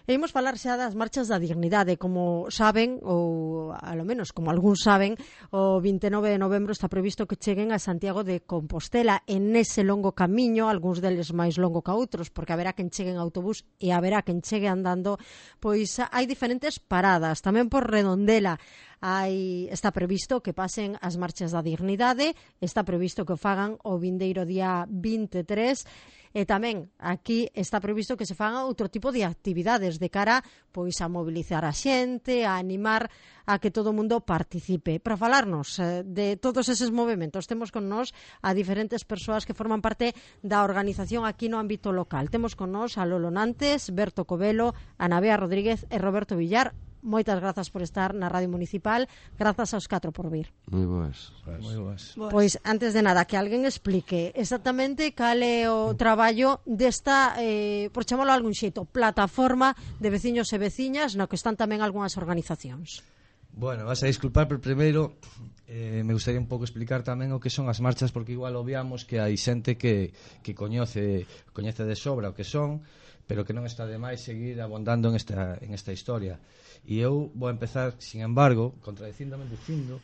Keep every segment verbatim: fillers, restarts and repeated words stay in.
E imos falar xa das marchas da dignidade. Como saben, ou a lo menos como algúns saben, o vinte e nove de novembro está previsto que cheguen a Santiago de Compostela. En ese longo camiño, algúns deles máis longo que outros, porque haberá quen chegue en autobús e haberá quen chegue andando, pois hai diferentes paradas. Tamén por Redondela hai, está previsto que pasen as marchas da dignidade, está previsto que o fagan o vindeiro día vinte e tres, e tamén aquí está previsto que se fagan outro tipo de actividades de cara pois a mobilizar a xente, a animar a que todo o mundo participe. Para falarnos eh, de todos eses movimentos, temos con nós a diferentes persoas que forman parte da organización aquí no ámbito local. Temos con nós a Lolo Nantes, Berto Covelo, Ana Bea Rodríguez e Roberto Villar. Moitas grazas por estar na Radio Municipal. Grazas aos catro por vir. Moi boas. Moi boas. Pois, antes de nada, que alguén explique exactamente cal é o traballo desta, eh, por chamarlo de algún xeito, plataforma de veciños e veciñas, no que están tamén algunhas organizacións. Bueno, vas a disculpar, pero primeiro eh, me gustaría un pouco explicar tamén o que son as marchas, porque igual obviamos que hai xente que, que coñece, coñece de sobra o que son, pero que non está de máis seguir abondando en esta, en esta historia. E eu vou empezar, sin embargo, contradicíndome dicindo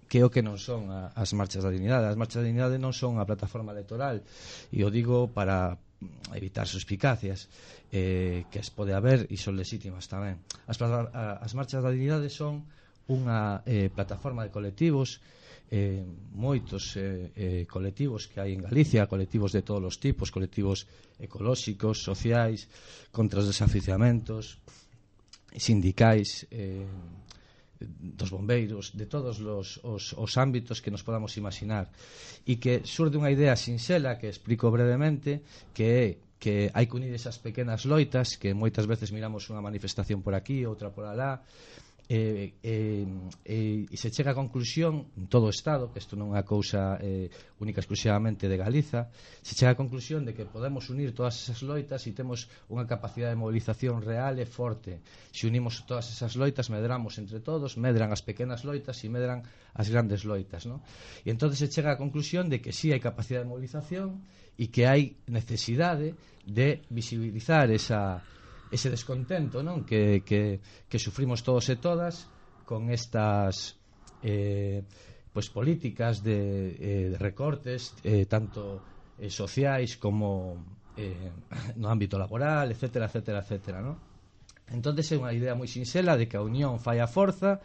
que o que non son a, as marchas da dignidade. As marchas da dignidade non son a plataforma electoral, e o digo para evitar suspicacias eh, que as pode haber e son legítimas tamén. As, as marchas da dignidade son unha eh, plataforma de colectivos, eh, moitos eh, eh, colectivos que hai en Galicia, colectivos de todos os tipos, colectivos ecolóxicos, sociais, contra os desaficiamentos, sindicais, eh, dos bombeiros, de todos os, os, os ámbitos que nos podamos imaginar, e que surde unha idea sinxela que explico brevemente, que é que hai que unir esas pequenas loitas que moitas veces miramos unha manifestación por aquí, outra por alá, E, e, e, e se chega a conclusión en todo o Estado, que isto non é unha cousa eh, única exclusivamente de Galiza, se chega a conclusión de que podemos unir todas esas loitas e temos unha capacidade de movilización real e forte. Se unimos todas esas loitas, medramos entre todos, medran as pequenas loitas e medran as grandes loitas, ¿no? E entón se chega a conclusión de que sí hai capacidade de movilización e que hai necesidade de visibilizar esa ese descontento, non? Que, que, que sufrimos todos e todas con estas eh, pues políticas de, eh, de recortes eh, tanto eh, sociais como eh, no ámbito laboral, etcétera, etcétera, etcétera, non? Entón é unha idea moi sinxela de que a unión fai a forza,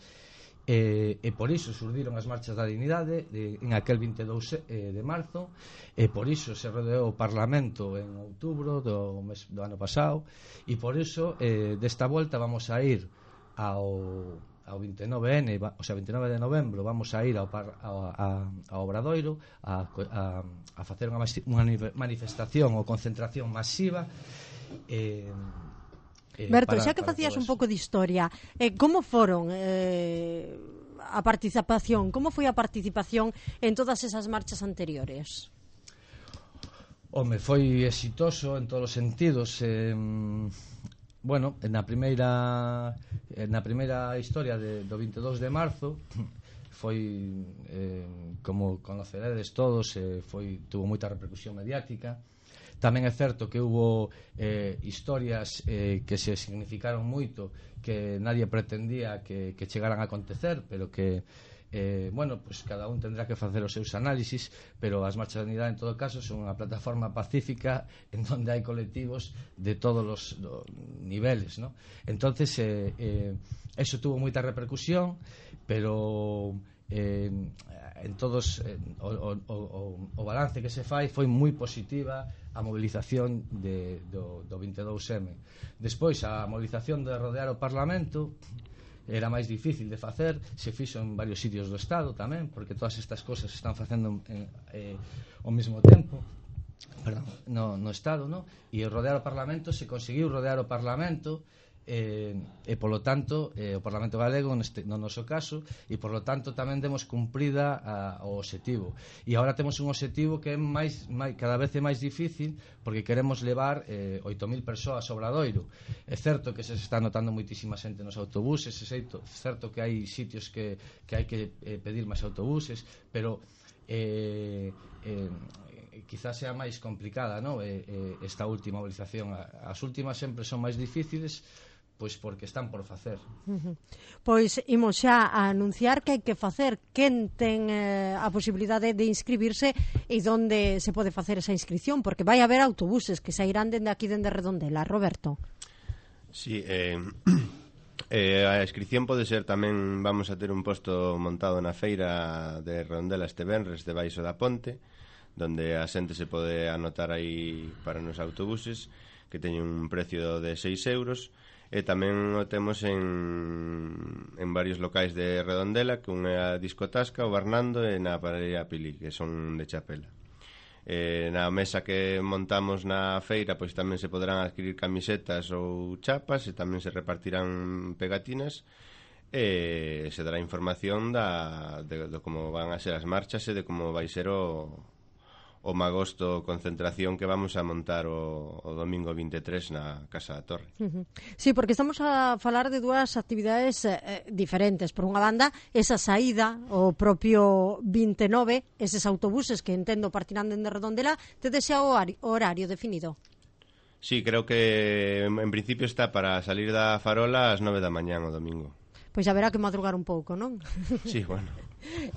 e, e por iso surdiron as marchas da dignidade de, en aquel vinte e dous eh, de marzo, e por iso se rodeou o Parlamento en outubro do, mes, do ano pasado, e por iso eh, desta volta vamos a ir ao, ao vinte e nove ene, o sea, vinte e nove de novembro vamos a ir ao, par, ao, a, ao Obradoiro a, a, a facer unha, unha manifestación ou concentración masiva. eh, Eh, Berto, para, xa que facías un pouco de historia, eh, como foron eh, a participación, como foi a participación en todas esas marchas anteriores? Home, foi exitoso en todos os sentidos. eh, bueno, na primeira na primeira historia de, do vinte e dous de marzo foi, eh, como conoceredes todos, eh, foi, tuvo moita repercusión mediática. Tamén é certo que hubo eh, historias eh, que se significaron moito, que nadie pretendía que, que chegaran a acontecer, pero que eh, bueno, pues cada un tendrá que facer os seus análisis, pero as marchas de unidade en todo caso son unha plataforma pacífica en donde hai colectivos de todos os do, niveles, ¿no? Entonces eh, eh, eso tuvo moita repercusión, pero eh, en todos eh, o, o, o, o balance que se fai foi moi positiva a movilización de, do, do vinte e dous eme. Despois a movilización de rodear o Parlamento era máis difícil de facer, se fixo en varios sitios do Estado tamén, porque todas estas cosas se están facendo en, eh, ao mesmo tempo, perdón, no, no Estado, no? E rodear o Parlamento, se conseguiu rodear o Parlamento, eh, e polo tanto eh, o Parlamento Galego neste, no noso caso, e polo tanto tamén demos cumprida a, o obxectivo, e agora temos un obxectivo que é máis, máis, cada vez é máis difícil, porque queremos levar eh, oito mil persoas ao Obradoiro. É certo que se está notando moitísima xente nos autobuses, é certo, é certo que hai sitios que, que hai que eh, pedir máis autobuses, pero eh, eh, quizás sea máis complicada, ¿no? eh, eh, esta última movilización. As últimas sempre son máis difíciles, pois porque están por facer. Uh-huh. Pois imos xa a anunciar que hai que facer, quen ten eh, a posibilidade de inscribirse e onde se pode facer esa inscripción, porque vai haber autobuses que sairán dende aquí, dende Redondela. Roberto. Sí, eh, eh, a inscripción pode ser tamén, vamos a ter un posto montado na feira de Redondela este venres debaixo da ponte, donde a xente se pode anotar aí para nos autobuses, que teñen un precio de seis euros. E tamén o temos en, en varios locais de Redondela, que un é a Discotasca, o Bernando e na Panadería Pili, que son de Chapela. E na mesa que montamos na feira, pois tamén se poderán adquirir camisetas ou chapas, e tamén se repartirán pegatinas, e se dará información da, de, de como van a ser as marchas e de como vai ser o o magosto concentración que vamos a montar o, o domingo vinte e tres na Casa da Torre. Uh-huh. Sí, porque estamos a falar de dúas actividades eh, diferentes. Por unha banda, esa saída, o propio vinte e nove, eses autobuses que entendo partirán dende Redondela, tedes xa o horario definido? Sí, creo que en principio está para salir da Farola ás nove da mañán o domingo. Pois haberá que madrugar un pouco, non? Sí, bueno.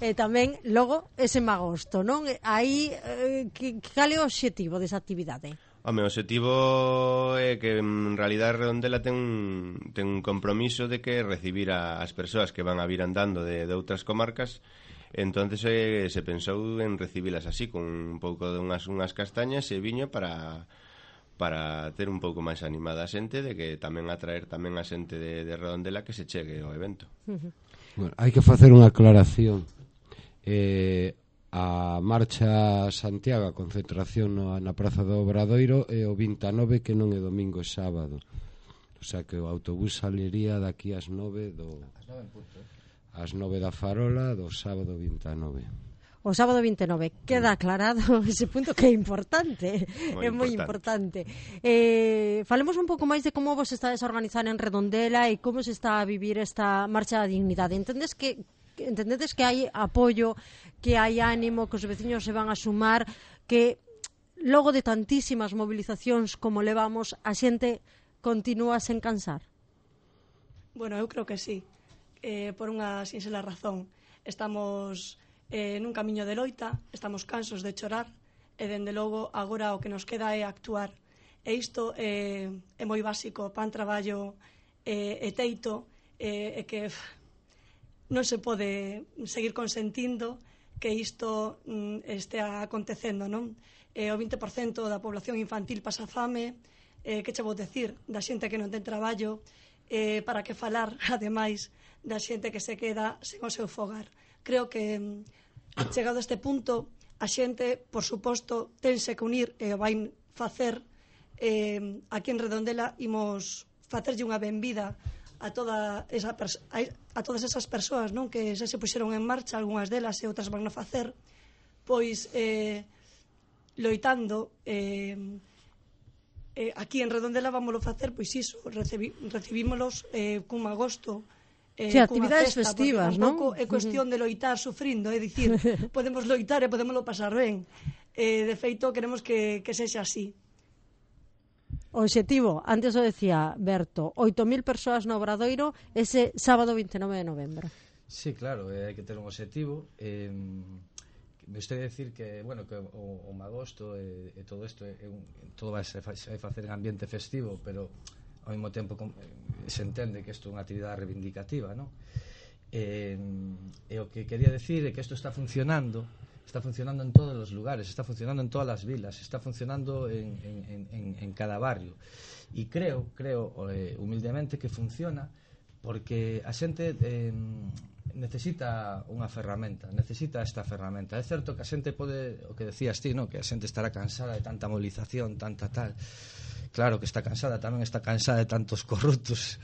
E tamén, logo, ese magosto, non? Aí, eh, que, cal é o obxectivo desa actividade? Home, o obxectivo é que en realidad Redondela ten un, ten un compromiso de que recibir a, as persoas que van a vir andando de, de outras comarcas. Entonces eh, se pensou en recibilas así, con un pouco de unhas, unhas castañas e viño para... para ter un pouco máis animada a xente, de que tamén atraer tamén a xente de, de Redondela que se chegue ao evento. Uh-huh. Bueno, hai que facer unha aclaración. Eh, a marcha Santiago, a concentración no, na Praza do Obradoiro é o vinte e nove, que non é domingo, é sábado. O sea que o autobús saliría daqui ás nove do ás nove da Farola do sábado vinte e nove. O sábado vinte e nove, queda aclarado ese punto que é importante, moi é moi importante. Eh, falemos un pouco máis de como vos estades a organizar en Redondela e como se está a vivir esta marcha da dignidade. Entendes que entendedes que hai apoio, que hai ánimo, que os veciños se van a sumar, que logo de tantísimas movilizacións como levamos, a xente continúa sen cansar? Bueno, eu creo que sí, eh, por unha sinxela razón. Estamos Eh, nun camiño de loita, estamos cansos de chorar e, dende logo, agora o que nos queda é actuar. E isto eh, é moi básico, pan, traballo eh, e teito, eh, e que f, non se pode seguir consentindo que isto mm, estea acontecendo, non? Eh, o vinte por cento da población infantil pasa fame, eh, que che vou decir da xente que non ten traballo, eh, para que falar, ademais, da xente que se queda sen o seu fogar. Creo que, chegado a este punto, a xente, por suposto, tense que unir e o vai facer. Eh, aquí en Redondela imos facerlle unha benvida a, toda esa pers- a, a todas esas persoas, non, que xa se puxeron en marcha, algunhas delas e outras van a facer, pois eh, loitando. Eh, eh, aquí en Redondela vámoslo facer, pois iso, recibi, recibímolos eh, cun agosto. Eh, sí, actividades festa, festivas, non? É cuestión de loitar sufrindo, é dicir, podemos loitar e podemoslo pasar ben. Eh, de feito, queremos que, que sexa así. O obxectivo, antes o decía Berto, oito mil persoas no Obradoiro ese sábado vinte e nove de novembro. Sí, claro, eh, hai que ter un objetivo. Eh, me gustaría decir que, bueno, que o, o magosto e, e todo isto é un, todo vai se vai facer en ambiente festivo, pero ao mesmo tempo se entende que isto é unha actividade reivindicativa, non? E, e o que quería decir é que isto está funcionando, está funcionando en todos os lugares, está funcionando en todas as vilas, está funcionando en, en, en, en cada barrio. E creo, creo eh, humildemente que funciona porque a xente eh, necesita unha ferramenta, necesita esta ferramenta. É certo que a xente pode, o que decías ti, no? Que a xente estará cansada de tanta movilización, tanta tal. Claro que está cansada, tamén está cansada de tantos corruptos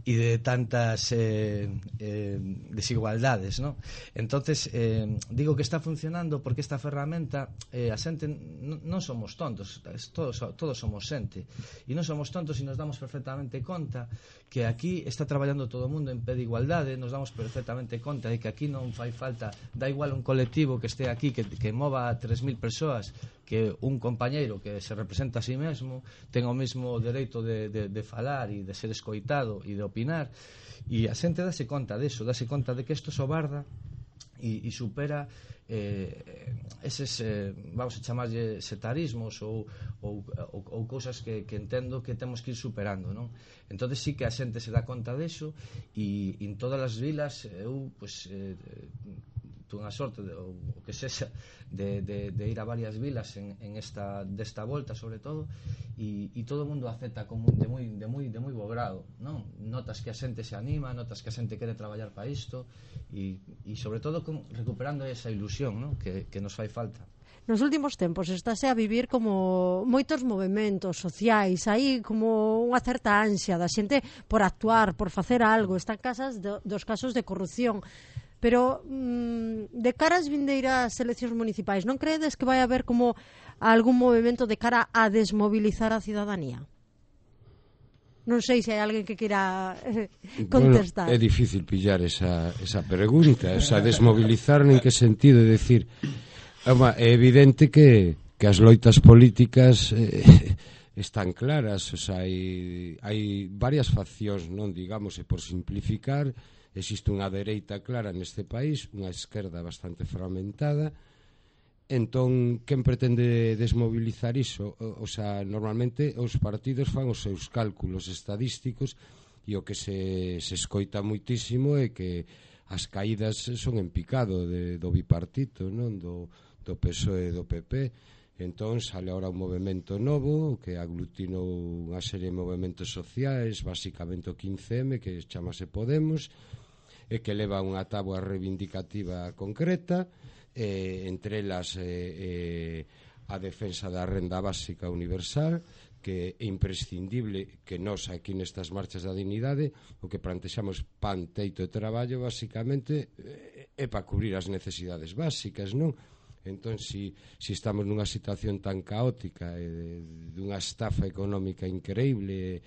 e de tantas eh, eh, desigualdades, ¿no? Entonces, eh, digo que está funcionando porque esta ferramenta, eh, a xente non somos tontos, todos, todos somos xente, e non somos tontos e nos damos perfectamente conta que aquí está traballando todo o mundo en pé de igualdade, nos damos perfectamente conta de que aquí non fai falta, da igual un colectivo que este aquí, que, que mova a tres mil persoas, que un compañeiro que se representa a sí mesmo, ten ten o mesmo dereito de, de, de falar e de ser escoitado e de opinar, e a xente dase conta deso, dase conta de que isto sobarda e, e supera eh, eses, eh, vamos a chamarlle setarismos ou, ou, ou, ou cousas que, que entendo que temos que ir superando, non? Entón sí que a xente se dá conta deso, e en todas as vilas eu, pues, eh, unha sorte de, ou o que sexa de, de, de ir a varias vilas en, en esta desta volta sobre todo, e, e todo o mundo acepta como de moi de moi de moi bo grado, non? Notas que a xente se anima, notas que a xente quere traballar para isto, e, e sobre todo con, recuperando esa ilusión, non? Que, que nos fai falta. Nos últimos tempos estáse a vivir como moitos movementos sociais, aí como unha certa ansia da xente por actuar, por facer algo, están casas do, dos casos de corrupción. Pero mmm, de cara ás vindeiras eleccións municipais, non credes que vai haber como algún movimento de cara a desmobilizar a cidadanía? Non sei se hai alguén que queira eh, contestar. Bueno, é difícil pillar esa, esa pregunta, o sea, desmobilizar en que sentido, é dicir, é evidente que, que as loitas políticas eh, están claras, o sea, hai, hai varias faccións, non digamos, e por simplificar, existe unha dereita clara neste país, unha esquerda bastante fragmentada. Entón, quen pretende desmobilizar iso? O, o sea, normalmente os partidos fan os seus cálculos estadísticos, e o que se, se escoita moitísimo é que as caídas son en picado de, do bipartito, non? Do, do P S O E e do P P. Entón, sale ahora un movimento novo que aglutinou unha serie de movimentos sociais, basicamente o quince eme, que chamase Podemos, e que leva unha táboa reivindicativa concreta, eh, entre elas eh, eh, a defensa da renda básica universal, que é imprescindible que nós aquí nestas marchas da dignidade o que plantexamos pan, teito e traballo basicamente eh, é para cubrir as necesidades básicas, non? Entón, si, si estamos nunha situación tan caótica e eh, dunha estafa económica increíble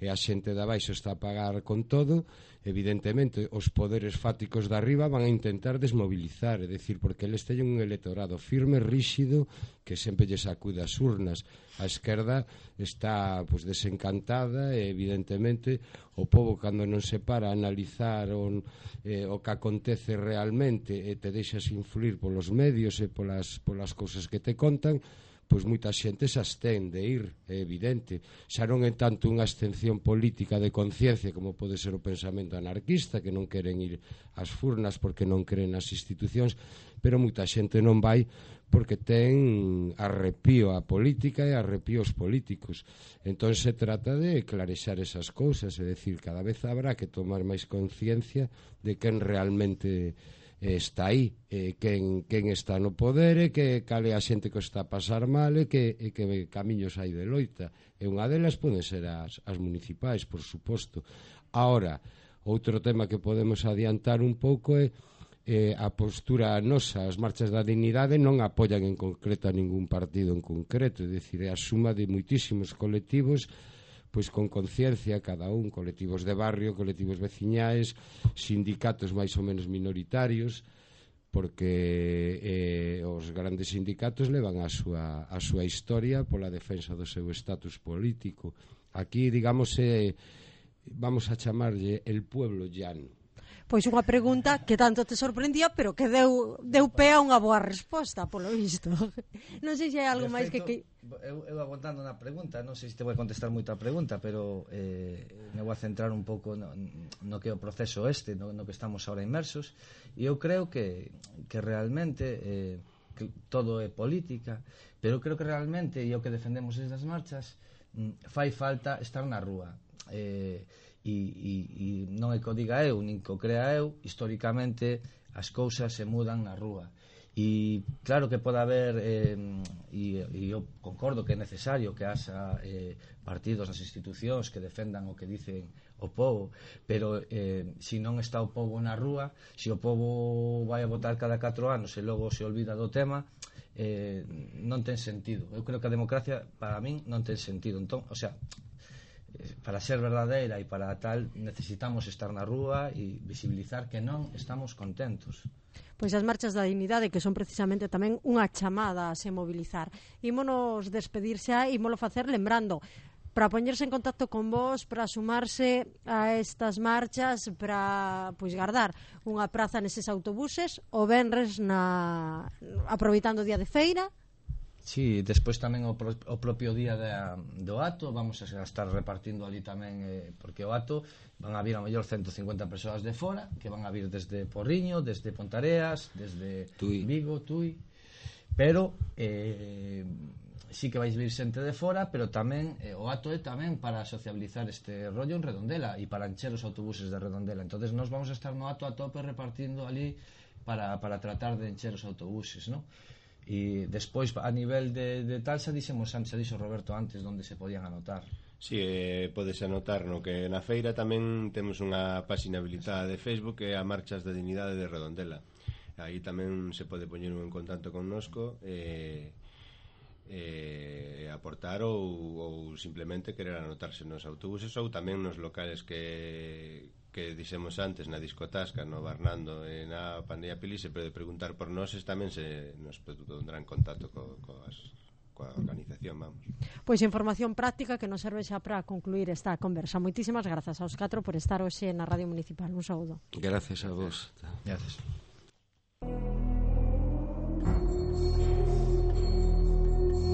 e a xente de abaixo está a pagar con todo, evidentemente os poderes fáticos de arriba van a intentar desmobilizar, é dicir, porque eles teñen un electorado firme, ríxido, que sempre lle sacude as urnas. A esquerda está pues, desencantada e evidentemente o povo cando non se para a analizar o, eh, o que acontece realmente e te deixas influir polos medios e polas, polas cousas que te contan, pois moita xente se abstén de ir, é evidente. Xa non é tanto unha abstención política de conciencia como pode ser o pensamento anarquista, que non queren ir ás furnas porque non creen nas institucións, pero moita xente non vai porque ten arrepío a política e arrepío aos políticos. Entón se trata de clarexar esas cousas, é dicir, cada vez habrá que tomar máis conciencia de quen realmente está aí, eh, quen, quen está no poder e que cale a xente que está a pasar mal e que, e que camiños hai de loita, e unha delas poden ser as, as municipais, por suposto. Ahora, outro tema que podemos adiantar un pouco é eh, a postura nosa. As marchas da dignidade non apoian en concreto a ningún partido en concreto, é dicir, é a suma de moitísimos colectivos pois con conciencia, cada un, colectivos de barrio, colectivos veciñais, sindicatos máis ou menos minoritarios, porque eh, os grandes sindicatos levan a súa, a súa historia pola defensa do seu estatus político. Aquí, digamos, eh, vamos a chamarlle el pueblo llano. Pois unha pregunta que tanto te sorprendía, pero que deu, deu pé a unha boa resposta, polo visto. Non sei se hai algo máis que... que... Eu, eu aguantando na pregunta, non sei se te vou contestar moita pregunta, pero eh, me vou a centrar un pouco no, no que é o proceso este, no, no que estamos ahora inmersos, e eu creo que, que realmente eh, que todo é política, pero creo que realmente, e o que defendemos desde as marchas, fai falta estar na rúa. Eh, E, e, e non é que o diga eu, nin que o crea eu, históricamente as cousas se mudan na rúa. E claro que pode haber, eh, e, e eu concordo que é necesario que haxa eh, partidos nas institucións que defendan o que dicen o povo, pero eh, se non está o povo na rúa, se o povo vai a votar cada catro anos e logo se olvida do tema, eh, non ten sentido. Eu creo que a democracia, para min, non ten sentido. Entón, o sea, para ser verdadeira e para tal necesitamos estar na rúa e visibilizar que non estamos contentos. Pois as marchas da dignidade, que son precisamente tamén unha chamada a se mobilizar. Ímonos despedir xa, ímolo facer lembrando para poñerse en contacto con vos, para sumarse a estas marchas, para pois guardar unha praza neses autobuses o venres na aproveitando o día de feira. Sí, despois tamén o, pro, o propio día da, do acto vamos a estar repartindo ali tamén, eh, porque o acto van a vir a mellor ciento cincuenta persoas de fora, que van a vir desde Porriño, desde Pontareas, desde Tui. Vigo, Tui, pero eh, sí que vais vir xente de fora, pero tamén eh, o acto é tamén para sociabilizar este rollo en Redondela e para encher os autobuses de Redondela. Entonces nós vamos a estar no acto a tope repartindo ali para, para tratar de encher os autobuses, ¿no? E despois a nivel de, de tal xa dixemos antes, xa dixo Roberto antes onde se podían anotar. Si, sí, eh, podes anotar no que na feira tamén temos unha páxina habilitada de Facebook que é a Marchas da Dignidade de Redondela. Aí tamén se pode poñer en contacto connosco e eh, eh, aportar ou, ou simplemente querer anotarse nos autobuses ou tamén nos locales que que dixemos antes na discotasca, no Barnando e na Pandilla Pili, se pode preguntar por nós, tamén se nos pondrá en contacto co, coas, coa organización, vamos. Pois información práctica que nos serve xa para concluir esta conversa. Moitísimas grazas aos catro por estar hoxe na Radio Municipal. Un saúdo. Gracias a vos. Gracias.